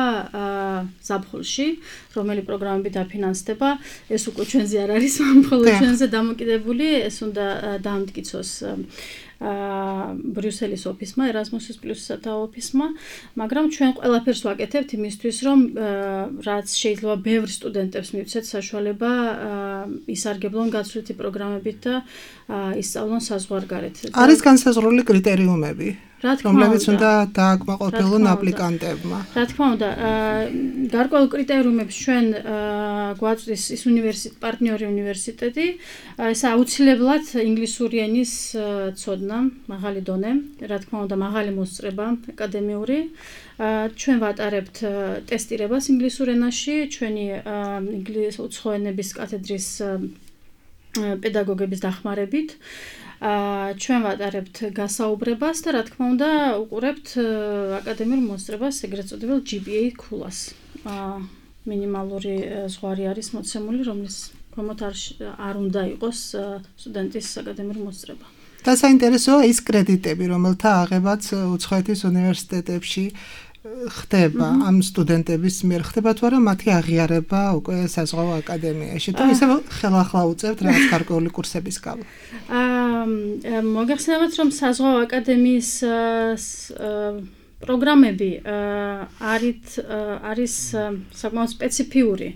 ზაფხულში, რომელი პროგრამები დაფინანსდება. ეს უკვე ჩვენზე არ არის, მხოლოდ ჩვენზე დამოკიდებული, ეს უნდა დაამტკიცოს ბრიუსელის ოფისმა, Erasmus Plus-ისა და ოფისმა, მაგრამ ჩვენ ყველაფერს ვაკეთებთ იმისთვის, რომ რაც შეიძლება ბევრ სტუდენტებს მივცეთ საშუალება ისარგებლონ გაცვლითი პროგრამებით და ისწავლონ საზღვარგარეთ. არის განსაზღვრული კრიტერიუმები, რომლებიც უნდა დააკმაყოფილონ აპლიკანტებმა. რა თქმა უნდა, გარკვეულ კრიტერიუმებს ჩვენ გვაწვდის ის უნივერსიტეტი, პარტნიორი უნივერსიტეტი, ეს აუცილებლად ინგლისური ენის ცოდნა, მაღალი დონე, რა თქმა უნდა, მაღალი მოსწრება აკადემიური. ჩვენ ვატარებთ ტესტირებას ინგლისურ ენაში, ჩვენი ინგლისური უცხო ენების კათედრის პედაგოგების დახმარებით. ჩვენ ვატარებთ გასაუბრებას და რა თქმა უნდა, უყურებთ აკადემიურ მოსწრებას, ეგრეთ წოდებულ G P A ქულას. მინიმალური ზღვარი არის მოცემული, რომლის ქვემოთ არ უნდა იყოს სტუდენტის აკადემიური მოსწრება. და საინტერესოა ის კრედიტები, რომელთა აღებაც უცხოეთის უნივერსიტეტებში ხდება, ამ სტუდენტების მიერ ხდება თუ არა მათი აღიარება უკვე საზღვაო აკადემიაში და ისე ხელახლა უწევთ რაღაც გარკვეული კურსების გავლა. მოგეხსენებათ, რომ საზღვაო აკადემიის პროგრამები არის არის საკმაოდ სპეციფიური,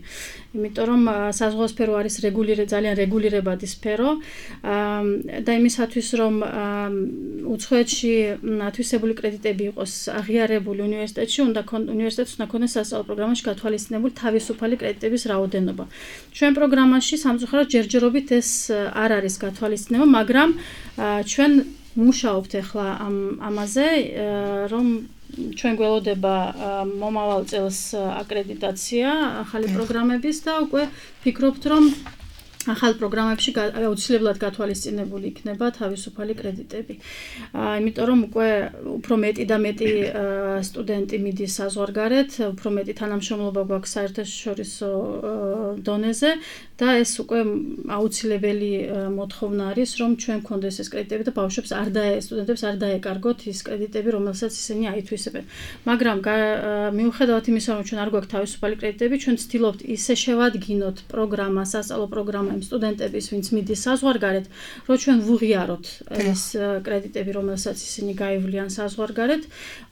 იმიტომ რომ საზღვაო სფერო არის რეგულირ ძალიან რეგულირებადი სფერო და იმისათვის რომ უცხოეთში ათვისებული კრედიტები იყოს აღიარებული უნივერსიტეტში, უნდა უნივერსიტეტს უნდა ქონდეს სასწავლო პროგრამაში გათვალისწინებული თავისუფალი კრედიტების რაოდენობა. ჩვენ პროგრამაში სამწუხაროდ ჯერჯერობით ეს არ არის გათვალისწინება, მაგრამ ჩვენ მუშაობთ ახლა ამ ამაზე, რომ ჩვენ გველოდება მომავალ წელს აკრედიტაცია ახალი პროგრამების და უკვე ფიქრობთ, რომ ახალ პროგრამებში აუცილებლად გათვალისწინებული იქნება თავისუფალი კრედიტები. იმიტომ რომ უკვე უფრო მეტი და მეტი სტუდენტი მიდის საზღვარგარეთ, უფრო მეტი თანამშრომლობა გვაქვს საერთაშორისო დონეზე და ეს უკვე აუცილებელი მოთხოვნა არის, რომ ჩვენ გქონდეს ეს კრედიტები და ბავშვებს არ დაე სტუდენტებს არ დაეკარგოთ ის კრედიტები, რომელსაც ისინი აითვისებენ. მაგრამ მიუხედავად იმისა, რომ ჩვენ არ გვაქვს თავისუფალი კრედიტები, ჩვენ ვცდილობთ ისე შევადგინოთ პროგრამა, სასწავლო პროგრამა იმ სტუდენტების, ვინც მიდის საზღვარგარეთ, რომ ჩვენ ვუღიაროთ ეს კრედიტები, რომელსაც ისინი გაივლიან საზღვარგარეთ,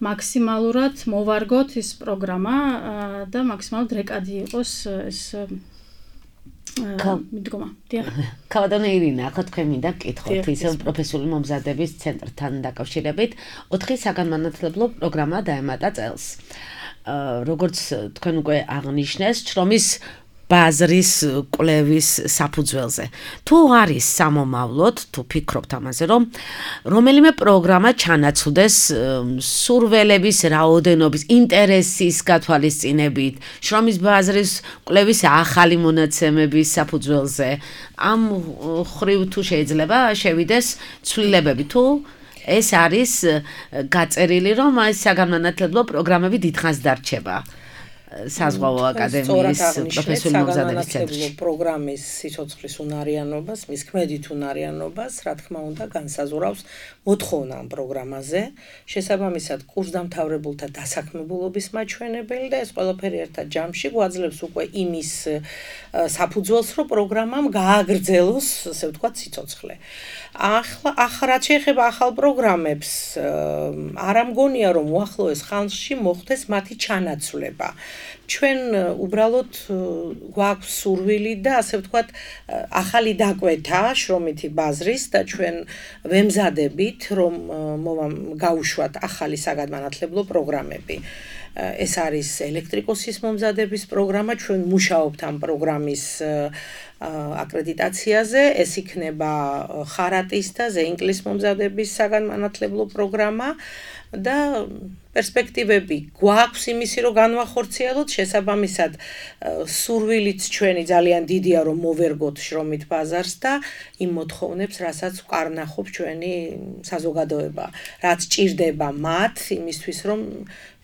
მაქსიმალურად მოვარგოთ ის პროგრამა და მაქსიმალურად რეკადი იყოს ეს მიდგომა. დიახ. კავადონე ირინა, ახლა თქვენ მინდა გკითხოთ ისევ პროფესიული მომზადების ცენტრთან დაკავშირებით, ოთხი საგანმანათლებლო პროგრამა დაემატა წელს. როგორც თქვენ უკვე აღნიშნეს, შრომის ბაზრის კვლევის საფუძველზე. თუ არის სამომავლოდ, თუ ფიქრობთ ამაზე, რომ რომელიმე პროგრამა ჩანაცვლდეს სურველების რაოდენობის, ინტერესის გათვალისწინებით, შრომის ბაზრის კვლევის ახალი მონაცემების საფუძველზე, ამ ხრივ თუ შეიძლება შევიდეს ცვლილებები, თუ ეს არის გაწერილი, რომ ეს საგანმანათლებლო პროგრამები დიდხანს დარჩება. საზღვაო აკადემიის პროფესიული მომზადების ცენტრში პროგრამის სიცოცხლის უნარიანობას, მის ქმედით უნარიანობას, რა თქმა უნდა, განსაზღვრავს მოთხოვნა ამ პროგრამაზე, შესაბამისად კურსდამთავრებულთა დასაქმებულობის მაჩვენებელი და ეს ყველაფერი ერთად ჯამში გვაძლევს უკვე იმის საფუძველს, რომ პროგრამამ გააგრძელოს, ასე ვთქვათ, სიცოცხლე. ახლა ახლა შეიძლება ახალ პროგრამებს არ ამგონია რომ უახლოეს ხანში მოხდეს მათი ჩანაცვლება. ჩვენ უბრალოდ გვაქვს სურვილი და ასე ვთქვათ ახალი დაკვეთა შრომითი ბაზრის და ჩვენ ვემზადებით რომ გავუშვათ ახალი საგანმანათლებლო პროგრამები. ეს არის ელექტრიკოსის მომზადების პროგრამა, ჩვენ მუშაობთ ამ პროგრამის აკრედიტაციაზე, ეს იქნება ხარატის და ზეინკლის მომზადების საგანმანათლებლო პროგრამა და პერსპექტივები გვაქვს იმისი რომ განვახორციელოთ, შესაბამისად სურვილიც ჩვენი ძალიან დიდია რომ მოვერგოთ შრომით ბაზარს და იმ მოთხოვნებს, რასაც ვკარნახობ ჩვენი საზოგადოება, რაც ჭირდება მათ იმისთვის რომ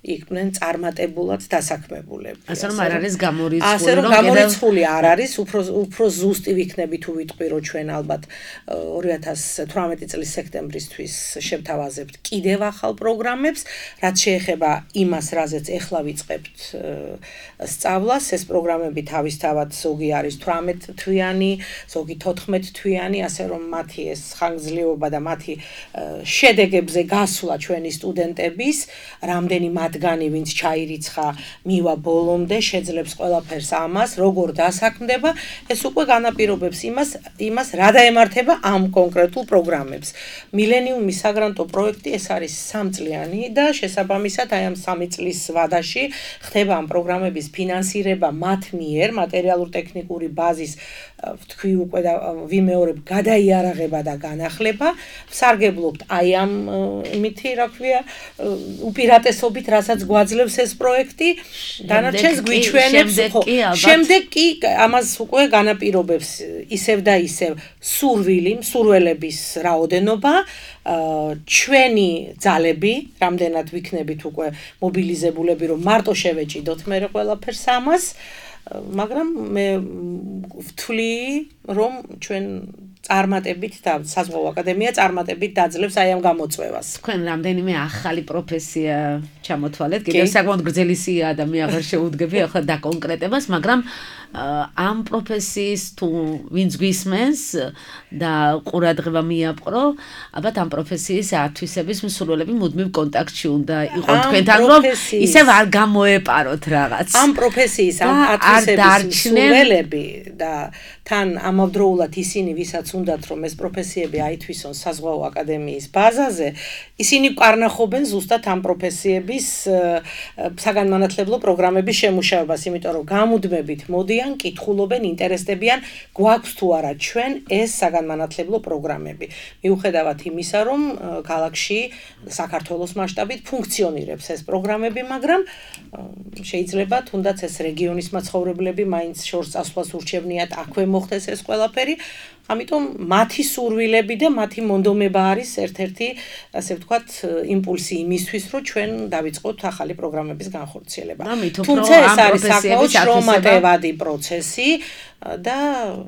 იყვნენ წარმატებულად დასაქმებულები. ასე რომ არ არის გამორიცხული, ასე რომ გამორიცხული არ არის, უფრო უფრო ზუსტი ვიქნები თუ ვიტყვი, რომ ჩვენ ალბათ ორი ათას თვრამეტი წლის სექტემბრისთვის შევთავაზებთ კიდევ ახალ პროგრამებს, რაც შეეხება იმას, რაზეც ეხლა ვიწყებთ სწავლას, ეს პროგრამები თავისთავად ზოგი არის თვრამეტ თვიანი, ზოგი თოთხმეტ თვიანი, ასე რომ მათი ეს ხანგრძლივობა და მათი შედეგებზე გასვლა ჩვენი სტუდენტების, რამდენი მათგანი ვინც ჩაირიცხა მივა ბოლომდე შეძლებს ყველაფერს ამას როგორ დასაქმდება ეს უკვე განაპირობებს იმას იმას რა დაემართება ამ კონკრეტულ პროგრამებს მილენიუმის საგრანტო პროექტი ეს არის სამწლიანი და შესაბამისად აი ამ სამი წლის ვადაში ხდება ამ პროგრამების ფინანსირება მათ მიერ მატერიალურ-ტექნიკური ბაზის თქვი უკვე და ვიმეორებ გადაიარაღება და განახლება ვსარგებლობთ აი ამ იმითი რა ქვია უპირატესობით რასაც გვაძლევს ეს პროექტი დანარჩენს გვიჩვენებს შემდეგ კი ამას უკვე განაპირობებს ისევ და ისევ სურვილი სურველების რაოდენობა ჩვენი ძალები რამდენად ვიქნებით უკვე მობილიზებულები რომ მარტო შევეჭიდოთ მე ყველაფერს ამას მაგრამ მე ვთვლი რომ ჩვენ წარმატებით და საზღვაო აკადემია წარმატებით დაძლევს აი ამ გამოწვევას. თქვენ რამდენიმე ახალი პროფესია ჩამოთვალეთ, კიდევ საკმაოდ გრძელი სია და მე აღარ შეუდგები ახლა დაკონკრეტებას, მაგრამ ამ პროფესიის თუ ვინც გვისმენს და ყურადღება მიაპყრო, ალბათ ამ პროფესიის ათვისების მსურველები მუდმივ კონტაქტში უნდა იყვნენ თქვენთან, რომ ისევ არ გამოეპაროთ რაღაც. ამ პროფესიის ამ ათვისების მსურველები და თან ამავდროულად ისინი ვისაც უნდათ რომ ეს პროფესიები აითვისონ საზღვაო აკადემიის ბაზაზე, ისინი ვკარნახობენ ზუსტად ამ პროფესიების საგანმანათლებლო პროგრამების შემუშავებას, იმიტომ რომ გამუდმებით მოდიან, კითხულობენ, ინტერესდებიან, გვაქვს თუ არა ჩვენ ეს საგანმანათლებლო პროგრამები. მიუხედავად იმისა, რომ ქალაქში საქართველოს მასშტაბით ფუნქციონირებს ეს პროგრამები, მაგრამ შეიძლება თუნდაც ეს რეგიონის მაცხოვრებლები მაინც შორს წასვლას ურჩევნიათ, აქვე მოხდეს ეს ყველაფერი. ამიტომ მათი სურვილები და მათი მონდომება არის ერთ-ერთი, ასე ვთქვათ, იმპულსი იმისთვის, რომ ჩვენ დავიწყოთ ახალი პროგრამების განხორციელება. თუმცა ეს არის საკმაოდ შრომატევადი პროცესი და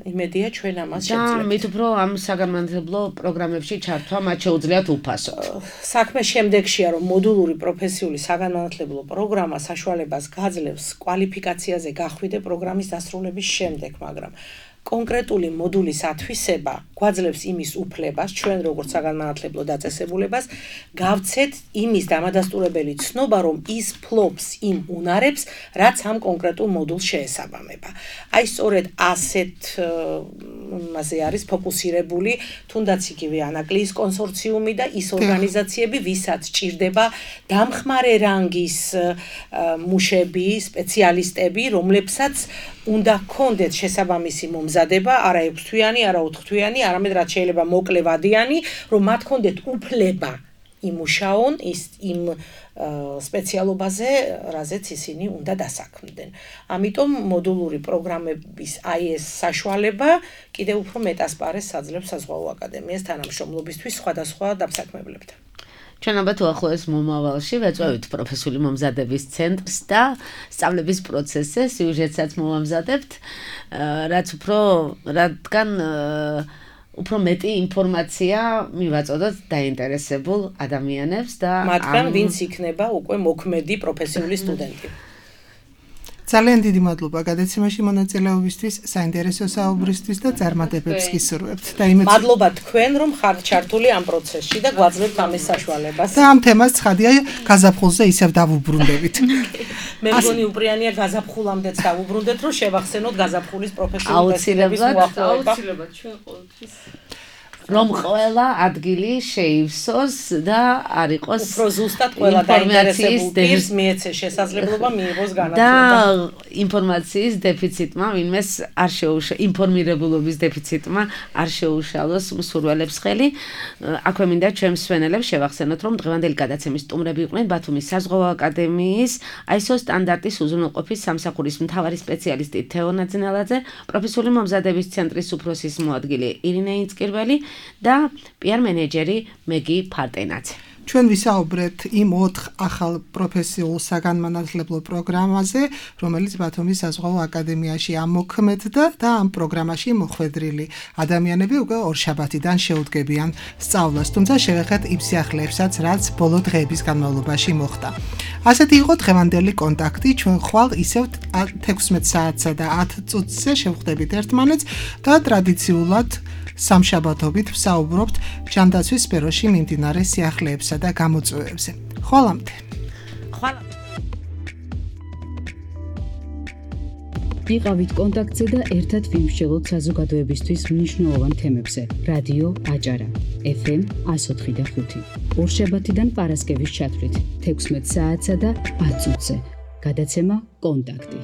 იმედია ჩვენ ამას შევძლებთ. მით უფრო ამ საგანმანათლებლო პროგრამებში ჩართვა მათ შეუძლიათ უფასოდ. საქმე შემდეგშია, რომ მოდულური პროფესიული საგანმანათლებლო პროგრამა საშუალებას გაძლევს კვალიფიკაციაზე გახვიდე პროგრამის დასრულების შემდეგ, მაგრამ კონკრეტული მოდულის ათვისება გვაძლევს იმის უფლებას, ჩვენ როგორც საგანმანათლებლო დაწესებულებას, გავცეთ იმის დამადასტურებელი ცნობა, რომ ის ფლობს იმ უნარებს, რაც ამ კონკრეტულ მოდულს შეესაბამება. აი სწორედ ასეთ მასე არის ფოკუსირებული თუნდაც იგივე ანაკლიის კონსორციუმი და ის ორგანიზაციები, ვისაც ჭირდება დამხმარე რანგის მუშები, სპეციალისტები, რომლებსაც უნდა კონდეთ შესაბამისი მომზადება, არა ექვსთვიანი, არა ოთხთვიანი, არამედ რაც შეიძლება მოკლე ვადიანი, რომ მათ კონდეთ უფლება იმუშაონ ის იმ სპეციალობაზე, რაზეც ისინი უნდა დასაქმდნენ. ამიტომ მოდულური პროგრამების აი ეს საშუალება კიდევ უფრო მეტასპარეს აძლევს საზღვაო აკადემიას თანამშრომლობისთვის სხვადასხვა დაფსაქმებლებთან. ჩვენ ალბათ უახლოეს მომავალში ვეწევით პროფესიული მომზადების ცენტრს და სწავლების პროცესზე სიუჟეტსაც მოვამზადებთ, რაც უფრო რადგან უფრო მეტი ინფორმაცია მივაწოდოთ დაინტერესებულ ადამიანებს და მათგან ვინც იქნება უკვე მოქმედი პროფესიული სტუდენტი. ძალიან დიდი მადლობა გადაცემაში მონაწილეობისთვის, საინტერესო საუბრისთვის და წარმატებებს გისურვებთ. და იმეც მადლობა თქვენ, რომ ხართ ჩართული ამ პროცესში და გვაძლევთ ამის საშუალებას. და ამ თემას ცხადია გაზაფხულზე ისევ დავუბრუნდებით. მე მგონი უპრიანია გაზაფხულამდეც დავუბრუნდეთ, რომ შევახსენოთ გაზაფხულის პროფესიული ფესტივალების მოახლოება. აუცილებლად ჩვენ ყოველთვის რომ ყველა ადგილი შეივსოს და არ იყოს უფრო ზუსტად ყველა დაინტერესებულ პირს მიეცეს შესაძლებლობა მიიღოს განათლება. და ინფორმაციის დეფიციტმა, ვინმეს არ შეუშა ინფორმირებულობის დეფიციტმა არ შეუშალოს მსურველებს ხელი. აქვე მინდა ჩვენ მსვენელებს შევახსენოთ, რომ დღევანდელი გადაცემის სტუმრები იყვნენ ბათუმის საზღვაო აკადემიის აი ეს ო სტანდარტის უზრუნველყოფის სამსახურის მთავარი სპეციალისტი თეო ნაძნელაძე, პროფესიული მომზადების ცენტრის უფროსის მოადგილე ირინე ინცკირველი და პიარ მენეჯერი მეგი ფარტენაძე. ჩვენ ვისაუბრეთ იმ ოთხ ახალ პროფესიულ საგანმანათლებლო პროგრამაზე, რომელიც ბათუმის საზღვაო აკადემიაში ამოქმედდა და ამ პროგრამაში მოხვედრილი ადამიანები უკვე ორშაბათიდან შეუდგებიან სწავლას, თუმცა შევეხეთ იმ სიახლეებსაც, რაც ბოლო დღეების განმავლობაში მოხდა. ასეთი იყო დღევანდელი კონტაქტი, ჩვენ ხვალ ისევ თექვსმეტ საათსა და ათ წუთზე შევხვდებით ერთმანეთს და ტრადიციულად სამშაბათობით ვსაუბრობთ ჯანდაცვის სფეროში მიმდინარე სიახლეებსა და გამოწვევებზე. ხვალამდე. ხვალამდე. იყავით კონტაქტზე და ერთად ვიმსჯელოთ საზოგადოებისთვის მნიშვნელოვან თემებზე. რადიო აჭარა, ეფ ემ ას ოთხი და ხუთი. ორშაბათიდან პარასკევის ჩათვლით თექვსმეტ საათსა და ათ წუთზე. გადაცემა კონტაქტი.